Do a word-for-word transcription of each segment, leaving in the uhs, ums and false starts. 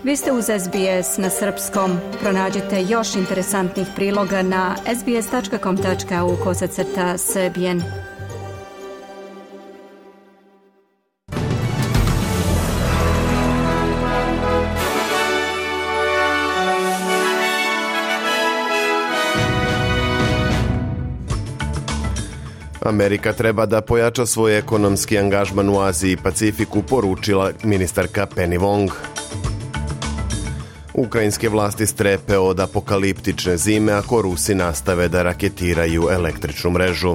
Vi ste uz S B S na srpskom. Pronađite još interesantnih priloga na sbs.com.au kosacrta srbijen. Amerika treba da pojača svoj ekonomski angažman u Aziji i Pacifiku, poručila ministarka Penny Wong. Ukrajinske vlasti strepe od apokaliptične zime ako Rusi nastave da raketiraju električnu mrežu.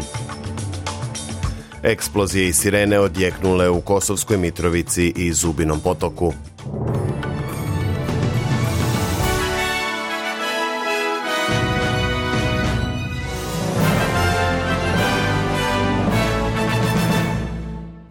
Eksplozije i sirene odjeknule u Kosovskoj Mitrovici i Zubinom Potoku.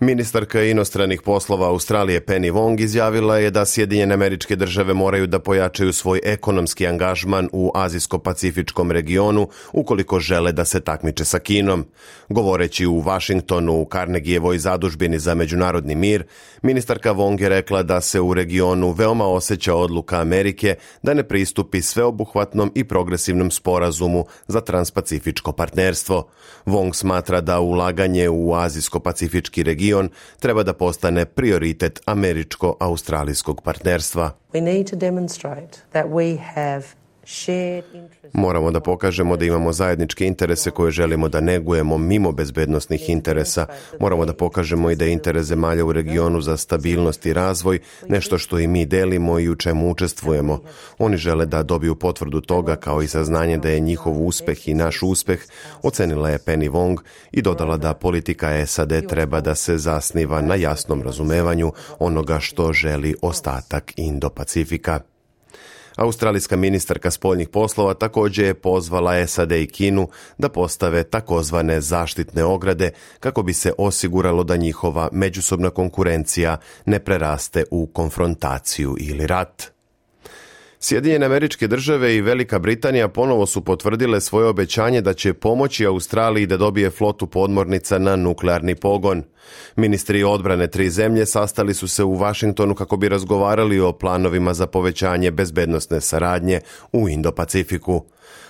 Ministarka inostranih poslova Australije Penny Wong izjavila je da Sjedinjene Američke Države moraju da pojačaju svoj ekonomski angažman u azijsko-pacifičkom regionu ukoliko žele da se takmiče sa Kinom. Govoreći u Vašingtonu u Carnegievoj zadužbini za međunarodni mir, ministarka Wong je rekla da se u regionu veoma osjeća odluka Amerike da ne pristupi sveobuhvatnom i progresivnom sporazumu za transpacifičko partnerstvo. Wong smatra da ulaganje u azijsko-pacifički region treba da postane prioritet američko-australijskog partnerstva. We need to demonstrate that we have Moramo da pokažemo da imamo zajedničke interese koje želimo da negujemo mimo bezbednosnih interesa. Moramo da pokažemo i da je interes zemalja u regionu za stabilnost i razvoj nešto što i mi delimo i u čemu učestvujemo. Oni žele da dobiju potvrdu toga kao i saznanje da je njihov uspeh i naš uspeh, ocenila je Penny Wong i dodala da politika S A D treba da se zasniva na jasnom razumevanju onoga što želi ostatak Indo-Pacifika. Australijska ministarka spoljnih poslova također je pozvala S A D i Kinu da postave takozvane zaštitne ograde kako bi se osiguralo da njihova međusobna konkurencija ne preraste u konfrontaciju ili rat. Sjedinjene Američke Države i Velika Britanija ponovo su potvrdile svoje obećanje da će pomoći Australiji da dobije flotu podmornica na nuklearni pogon. Ministri odbrane tri zemlje sastali su se u Vašingtonu kako bi razgovarali o planovima za povećanje bezbednosne saradnje u Indo-Pacifiku.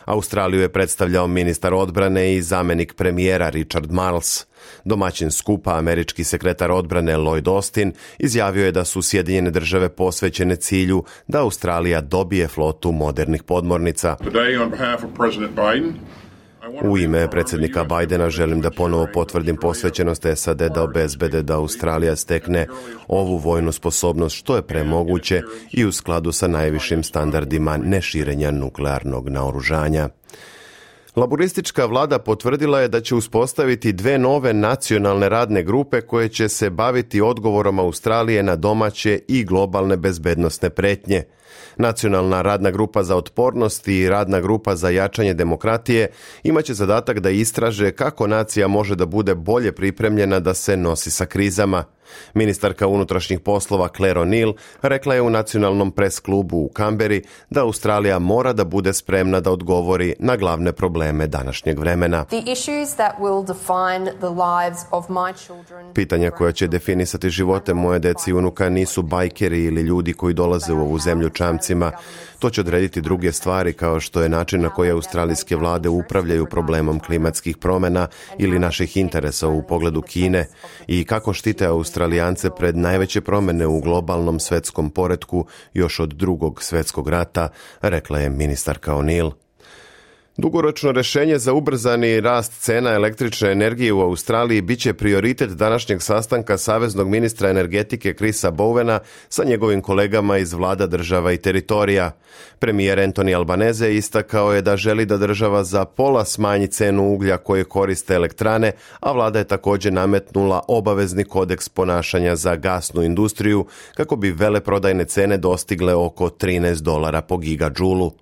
Australiju je predstavljao ministar odbrane i zamenik premijera Richard Marles. Domaćin skupa, američki sekretar odbrane Lloyd Austin, izjavio je da su Sjedinjene Države posvećene cilju da Australija dobije flotu modernih podmornica. U ime predsjednika Bidena želim da ponovo potvrdim posvećenost S A D da obezbede da Australija stekne ovu vojnu sposobnost što je premoguće i u skladu sa najvišim standardima neširenja nuklearnog naoružanja. Laboristička vlada potvrdila je da će uspostaviti dve nove nacionalne radne grupe koje će se baviti odgovorom Australije na domaće i globalne bezbednosne pretnje. Nacionalna radna grupa za otpornost i radna grupa za jačanje demokratije imaće zadatak da istraže kako nacija može da bude bolje pripremljena da se nosi sa krizama. Ministarka unutrašnjih poslova Claire O'Neill rekla je u nacionalnom pres klubu u Kamberi da Australija mora da bude spremna da odgovori na glavne probleme današnjeg vremena. Pitanja koja će definisati živote moje deci i unuka nisu bajkeri ili ljudi koji dolaze u ovu zemlju čamcima. To će odrediti druge stvari kao što je način na koji australijske vlade upravljaju problemom klimatskih promjena ili naših interesa u pogledu Kine i kako štite Australijance pred najveće promjene u globalnom svetskom poretku još od drugog svjetskog rata, rekla je ministarka O'Neill. Dugoročno rješenje za ubrzani rast cena električne energije u Australiji biće prioritet današnjeg sastanka saveznog ministra energetike Chrisa Bowena sa njegovim kolegama iz vlada država i teritorija. Premijer Anthony Albanese istakao je da želi da država za pola smanji cenu uglja koje koriste elektrane, a vlada je također nametnula obavezni kodeks ponašanja za gasnu industriju kako bi veleprodajne cene dostigle oko trinaest dolara po gigadžulu.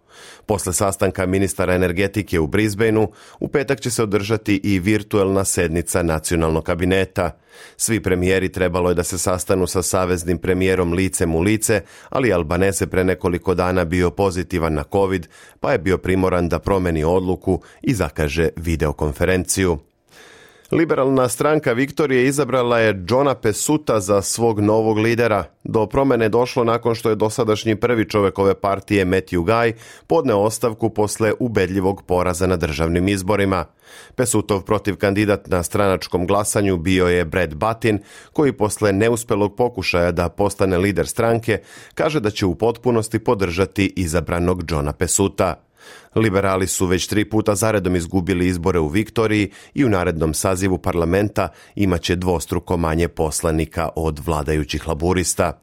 Posle sastanka ministara energetike u Brisbaneu, u petak će se održati i virtuelna sednica nacionalnog kabineta. Svi premijeri trebalo je da se sastanu sa saveznim premijerom licem u lice, ali Albanese pre nekoliko dana bio pozitivan na COVID, pa je bio primoran da promeni odluku i zakaže videokonferenciju. Liberalna stranka Viktorije izabrala je Johna Pesuta za svog novog lidera. Do promjene došlo nakon što je dosadašnji prvi čovjek ove partije Matthew Guy podneo ostavku posle ubedljivog poraza na državnim izborima. Pesutov protiv kandidat na stranačkom glasanju bio je Brad Buttin, koji posle neuspelog pokušaja da postane lider stranke kaže da će u potpunosti podržati izabranog Johna Pesuta. Liberali su već tri puta zaredom izgubili izbore u Viktoriji i u narednom sazivu parlamenta imaće dvostruko manje poslanika od vladajućih laburista.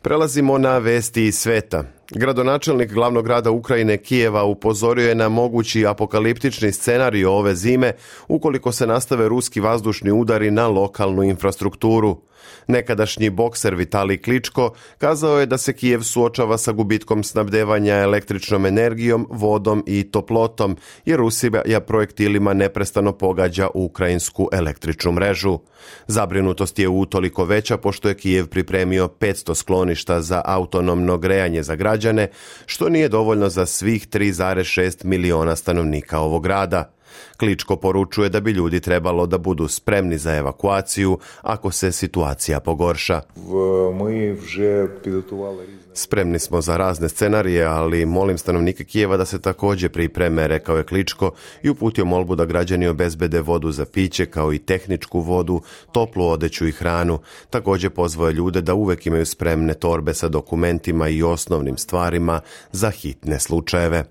Prelazimo na vesti iz sveta. Gradonačelnik glavnog grada Ukrajine Kijeva upozorio je na mogući apokaliptični scenarij ove zime ukoliko se nastave ruski vazdušni udari na lokalnu infrastrukturu. Nekadašnji bokser Vitalij Kličko kazao je da se Kijev suočava sa gubitkom snabdevanja električnom energijom, vodom i toplotom, jer Rusija projektilima neprestano pogađa ukrajinsku električnu mrežu. Zabrinutost je utoliko veća pošto je Kijev pripremio petsto skloništa za autonomno grejanje za građane, što nije dovoljno za svih tri zarez šest miliona stanovnika ovog grada. Kličko poručuje da bi ljudi trebalo da budu spremni za evakuaciju ako se situacija pogorša. Spremni smo za razne scenarije, ali molim stanovnike Kijeva da se također pripreme, rekao je Kličko i uputio molbu da građani obezbede vodu za piće kao i tehničku vodu, toplu odeću i hranu. Također pozvao je ljude da uvek imaju spremne torbe sa dokumentima i osnovnim stvarima za hitne slučajeve.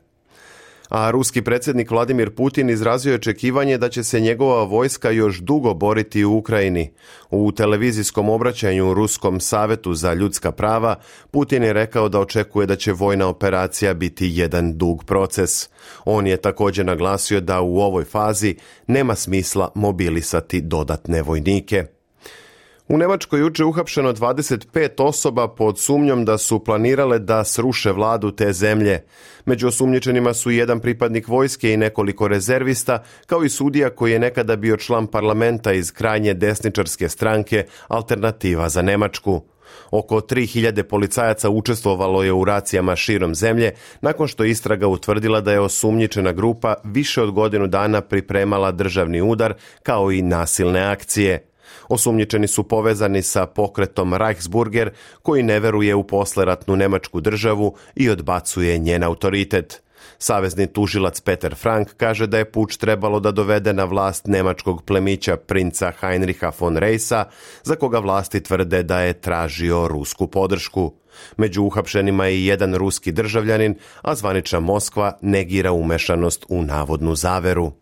A ruski predsjednik Vladimir Putin izrazio je očekivanje da će se njegova vojska još dugo boriti u Ukrajini. U televizijskom obraćanju Ruskom savetu za ljudska prava Putin je rekao da očekuje da će vojna operacija biti jedan dug proces. On je također naglasio da u ovoj fazi nema smisla mobilisati dodatne vojnike. U Njemačkoj juče uhapšeno dvadeset pet osoba pod sumnjom da su planirale da sruše vladu te zemlje. Među osumnjičenima su jedan pripadnik vojske i nekoliko rezervista, kao i sudija koji je nekada bio član parlamenta iz krajnje desničarske stranke Alternativa za Njemačku. Oko tri hiljade policajaca učestvovalo je u racijama širom zemlje nakon što istraga utvrdila da je osumnjičena grupa više od godinu dana pripremala državni udar kao i nasilne akcije. Osumnjičeni su povezani sa pokretom Reichsburger koji ne veruje u posleratnu nemačku državu i odbacuje njen autoritet. Savezni tužilac Peter Frank kaže da je puč trebalo da dovede na vlast nemačkog plemića princa Heinricha von Reisa, za koga vlasti tvrde da je tražio rusku podršku. Među uhapšenima je i jedan ruski državljanin, a zvanična Moskva negira umešanost u navodnu zaveru.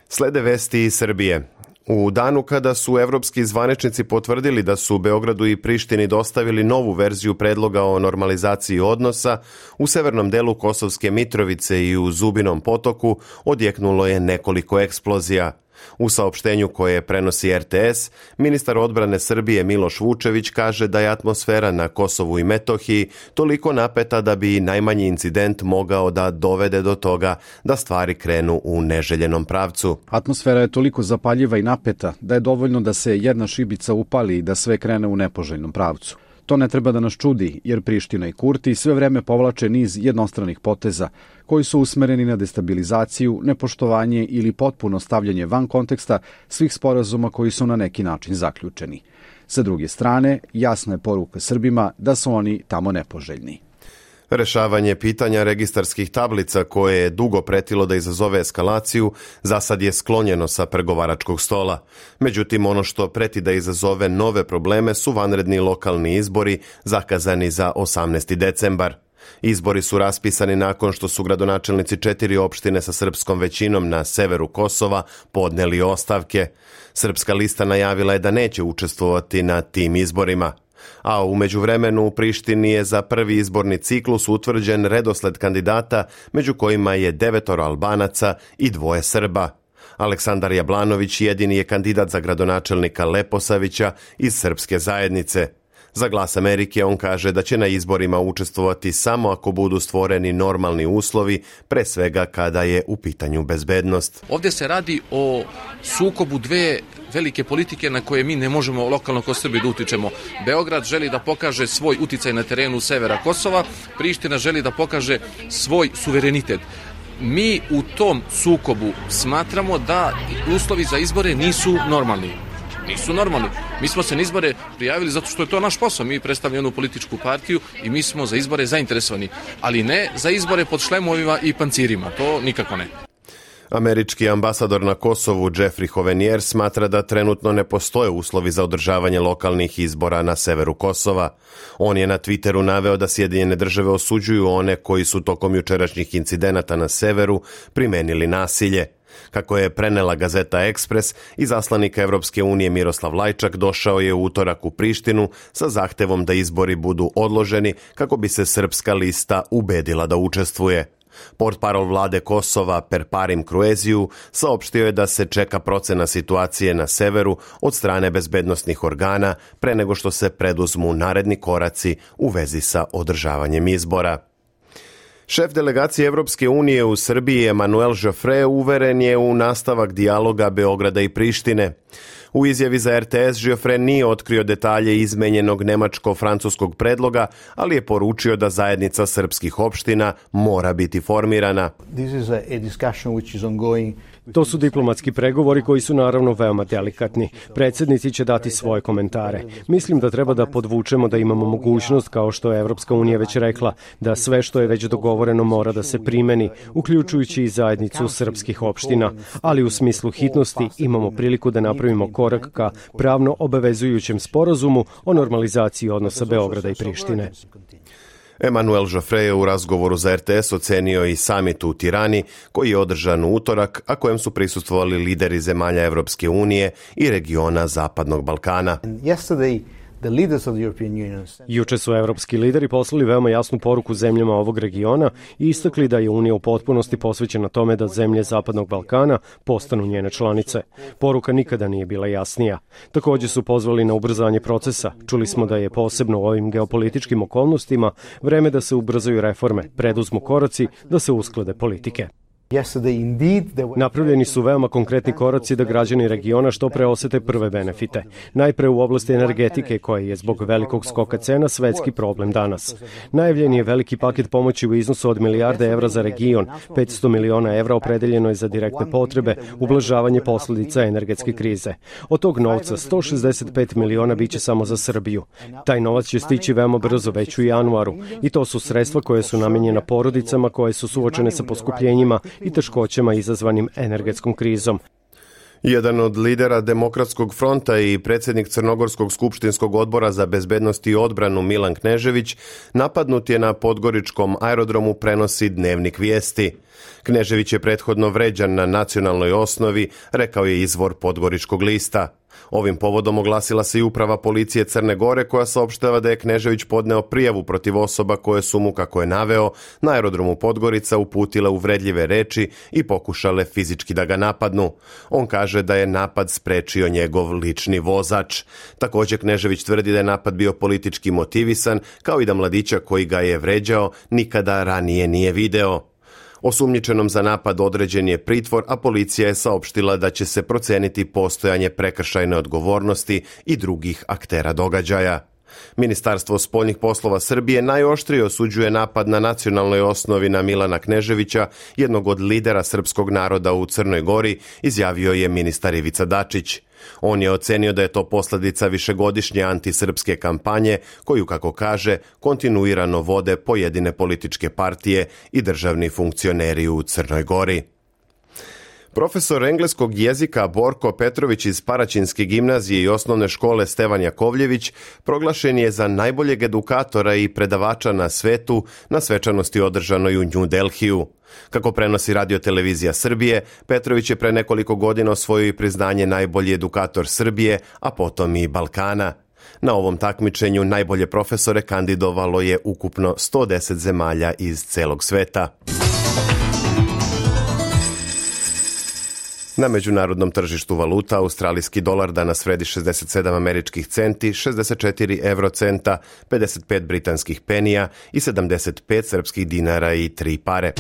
Slede vesti iz Srbije. U danu kada su evropski zvaničnici potvrdili da su Beogradu i Prištini dostavili novu verziju predloga o normalizaciji odnosa, u severnom delu Kosovske Mitrovice i u Zubinom potoku odjeknulo je nekoliko eksplozija. U saopštenju koje prenosi er te es, ministar odbrane Srbije Miloš Vučević kaže da je atmosfera na Kosovu i Metohiji toliko napeta da bi najmanji incident mogao da dovede do toga da stvari krenu u neželjenom pravcu. Atmosfera je toliko zapaljiva i napeta da je dovoljno da se jedna šibica upali i da sve krene u nepoželjnom pravcu. To ne treba da nas čudi, jer Priština i Kurti sve vreme povlače niz jednostranih poteza koji su usmereni na destabilizaciju, nepoštovanje ili potpuno stavljanje van konteksta svih sporazuma koji su na neki način zaključeni. Sa druge strane, jasna je poruka Srbima da su oni tamo nepoželjni. Rešavanje pitanja registarskih tablica koje je dugo pretilo da izazove eskalaciju, za sad je sklonjeno sa pregovaračkog stola. Međutim, ono što preti da izazove nove probleme su vanredni lokalni izbori zakazani za osamnaesti decembar. Izbori su raspisani nakon što su gradonačelnici četiri opštine sa srpskom većinom na severu Kosova podneli ostavke. Srpska lista najavila je da neće učestvovati na tim izborima. A u međuvremenu u Prištini je za prvi izborni ciklus utvrđen redosled kandidata, među kojima je devetoro Albanaca i dvoje Srba. Aleksandar Jablanović jedini je kandidat za gradonačelnika Leposavića iz srpske zajednice. Za Glas Amerike on kaže da će na izborima učestvovati samo ako budu stvoreni normalni uslovi, pre svega kada je u pitanju bezbednost. Ovdje se radi o sukobu dve velike politike na koje mi ne možemo lokalno kao Srbi da utičemo. Beograd želi da pokaže svoj uticaj na terenu severa Kosova, Priština želi da pokaže svoj suverenitet. mi u tom sukobu smatramo da uslovi za izbore nisu normalni. Nisu normalni. Mi smo se na izbore prijavili zato što je to naš posao. Mi predstavljamo jednu političku partiju i mi smo za izbore zainteresovani, ali ne za izbore pod šlemovima i pancirima. To nikako ne. Američki ambasador na Kosovu Jeffrey Hovenier smatra da trenutno ne postoje uslovi za održavanje lokalnih izbora na severu Kosova. On je na Twitteru naveo da Sjedinjene države osuđuju one koji su tokom jučerašnjih incidenata na severu primenili nasilje. Kako je prenela gazeta Ekspres, izaslanik Evropske unije Miroslav Lajčak došao je u utorak u Prištinu sa zahtevom da izbori budu odloženi kako bi se srpska lista ubedila da učestvuje. Portparol vlade Kosova Perparim Krueziju saopštio je da se čeka procena situacije na severu od strane bezbednosnih organa pre nego što se preduzmu naredni koraci u vezi sa održavanjem izbora. Šef delegacije Evropske unije u Srbiji Emanuel Joffre uveren je u nastavak dijaloga Beograda i Prištine. U izjavi za R T S Joffre nije otkrio detalje izmenjenog nemačko-francuskog predloga, ali je poručio da zajednica srpskih opština mora biti formirana. To su diplomatski pregovori koji su naravno veoma delikatni. Predsjednici će dati svoje komentare. Mislim da treba da podvučemo da imamo mogućnost, kao što je Evropska unija već rekla, da sve što je već dogovoreno mora da se primeni, uključujući i zajednicu srpskih opština. Ali u smislu hitnosti imamo priliku da napravimo korak ka pravno obavezujućem sporazumu o normalizaciji odnosa Beograda i Prištine. Emanuel Joffre je u razgovoru za R T S ocenio i samit u Tirani, koji je održan u utorak, a kojem su prisustvovali lideri zemalja Evropske unije i regiona Zapadnog Balkana. Juče su evropski lideri poslali veoma jasnu poruku zemljama ovog regiona i istakli da je Unija u potpunosti posvećena tome da zemlje Zapadnog Balkana postanu njene članice. Poruka nikada nije bila jasnija. Također su pozvali na ubrzanje procesa. Čuli smo da je posebno u ovim geopolitičkim okolnostima vreme da se ubrzaju reforme, preduzmu koraci, da se usklade politike. Napravljeni su veoma konkretni koraci da građani regiona što pre osete prve benefite. Najpre u oblasti energetike, koja je zbog velikog skoka cena svetski problem danas. Najavljen je veliki paket pomoći u iznosu od milijarde evra za region, petsto miliona evra opredeljeno je za direktne potrebe, ublažavanje posljedica energetske krize. Od tog novca sto šezdeset pet miliona biće samo za Srbiju. Taj novac će stići veoma brzo, već u januaru, i to su sredstva koje su namenjena porodicama koje su suočene sa poskupljenjima i teškoćama izazvanim energetskom krizom. Jedan od lidera Demokratskog fronta i predsjednik Crnogorskog skupštinskog odbora za bezbednost i odbranu Milan Knežević napadnut je na podgoričkom aerodromu, prenosi Dnevnik vijesti. Knežević je prethodno vređan na nacionalnoj osnovi, rekao je izvor Podgoričkog lista. Ovim povodom oglasila se i uprava policije Crne Gore, koja saopštava da je Knežević podneo prijavu protiv osoba koje su mu, kako je naveo, na aerodromu Podgorica uputile uvredljive reči i pokušale fizički da ga napadnu. On kaže da je napad sprečio njegov lični vozač. Također Knežević tvrdi da je napad bio politički motivisan, kao i da mladića koji ga je vređao nikada ranije nije video. Osumnjičenom za napad određen je pritvor, a policija je saopštila da će se proceniti postojanje prekršajne odgovornosti i drugih aktera događaja. Ministarstvo spoljnih poslova Srbije najoštrije osuđuje napad na nacionalnoj osnovi na Milana Kneževića, jednog od lidera srpskog naroda u Crnoj Gori, izjavio je ministar Ivica Dačić. On je ocenio da je to posljedica višegodišnje antisrpske kampanje, koju, kako kaže, kontinuirano vode pojedine političke partije i državni funkcioneri u Crnoj Gori. Profesor engleskog jezika Borko Petrović iz Paraćinske gimnazije i osnovne škole Stevan Jakovljević proglašen je za najboljeg edukatora i predavača na svetu na svečanosti održanoj u New Delhiju. Kako prenosi Radio Televizija Srbije, Petrović je pre nekoliko godina osvojio i priznanje najbolji edukator Srbije, a potom i Balkana. Na ovom takmičenju najbolje profesore kandidovalo je ukupno sto deset zemalja iz celog sveta. Na međunarodnom tržištu valuta australijski dolar danas vredi šezdeset sedam američkih centi, šezdeset četiri evrocenta, pedeset pet britanskih penija i sedamdeset pet srpskih dinara i tri pare.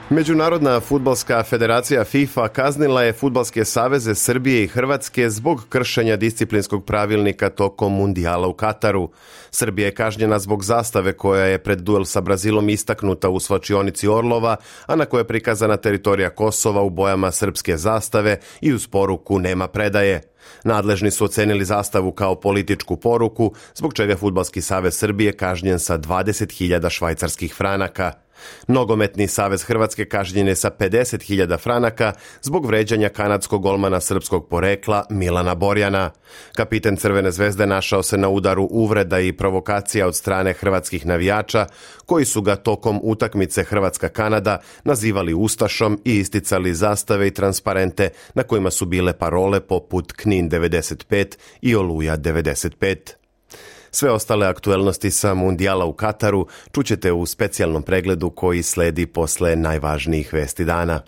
Međunarodna fudbalska federacija FIFA kaznila je fudbalske saveze Srbije i Hrvatske zbog kršenja disciplinskog pravilnika tokom mundijala u Kataru. Srbija je kažnjena zbog zastave koja je pred duel sa Brazilom istaknuta u svlačionici Orlova, a na kojoj je prikazana teritorija Kosova u bojama srpske zastave i uz poruku nema predaje. Nadležni su ocenili zastavu kao političku poruku, zbog čega je Fudbalski savez Srbije kažnjen sa dvadeset hiljada švajcarskih franaka. Nogometni savez Hrvatske kažnjen je sa pedeset hiljada franaka zbog vređanja kanadskog golmana srpskog porekla Milana Borjana. Kapiten Crvene zvezde našao se na udaru uvreda i provokacija od strane hrvatskih navijača, koji su ga tokom utakmice Hrvatska-Kanada nazivali ustašom i isticali zastave i transparente na kojima su bile parole poput Knin devedeset pet i Oluja devedeset pet. Sve ostale aktuelnosti sa mundijala u Kataru čućete u specijalnom pregledu koji sledi posle najvažnijih vesti dana.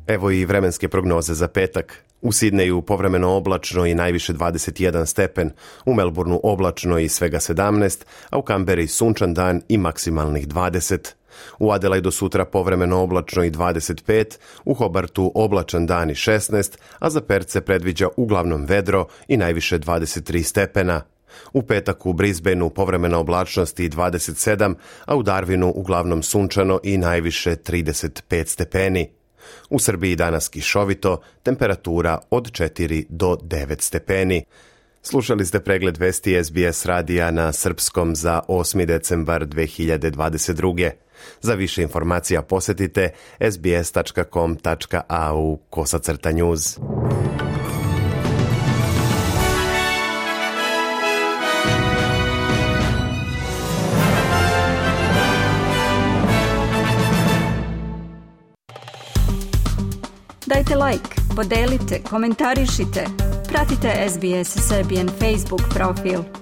Evo i vremenske prognoze za petak. U Sidneju povremeno oblačno i najviše dvadeset jedan stepen, u Melbourneu oblačno i svega sedamnaest, a u Kamberi sunčan dan i maksimalnih dvadeset. U Adelaidu sutra povremeno oblačno i dvadeset pet, u Hobartu oblačan dan i šesnaest, a za Perth predviđa uglavnom vedro i najviše dvadeset tri stepena. U petak u Brisbaneu povremena oblačnost i dvadeset sedam, a u Darwinu uglavnom sunčano i najviše trideset pet stepeni. U Srbiji danas kišovito, temperatura od četiri do devet stepeni. Slušali ste pregled vesti S B S radija na srpskom za osmi decembar dve hiljade dvadeset druge. Za više informacija posetite s b s tačka com tačka a u kosacrta news. Dajte like, podelite, komentarišite. Pratite S B S Serbian Facebook profil.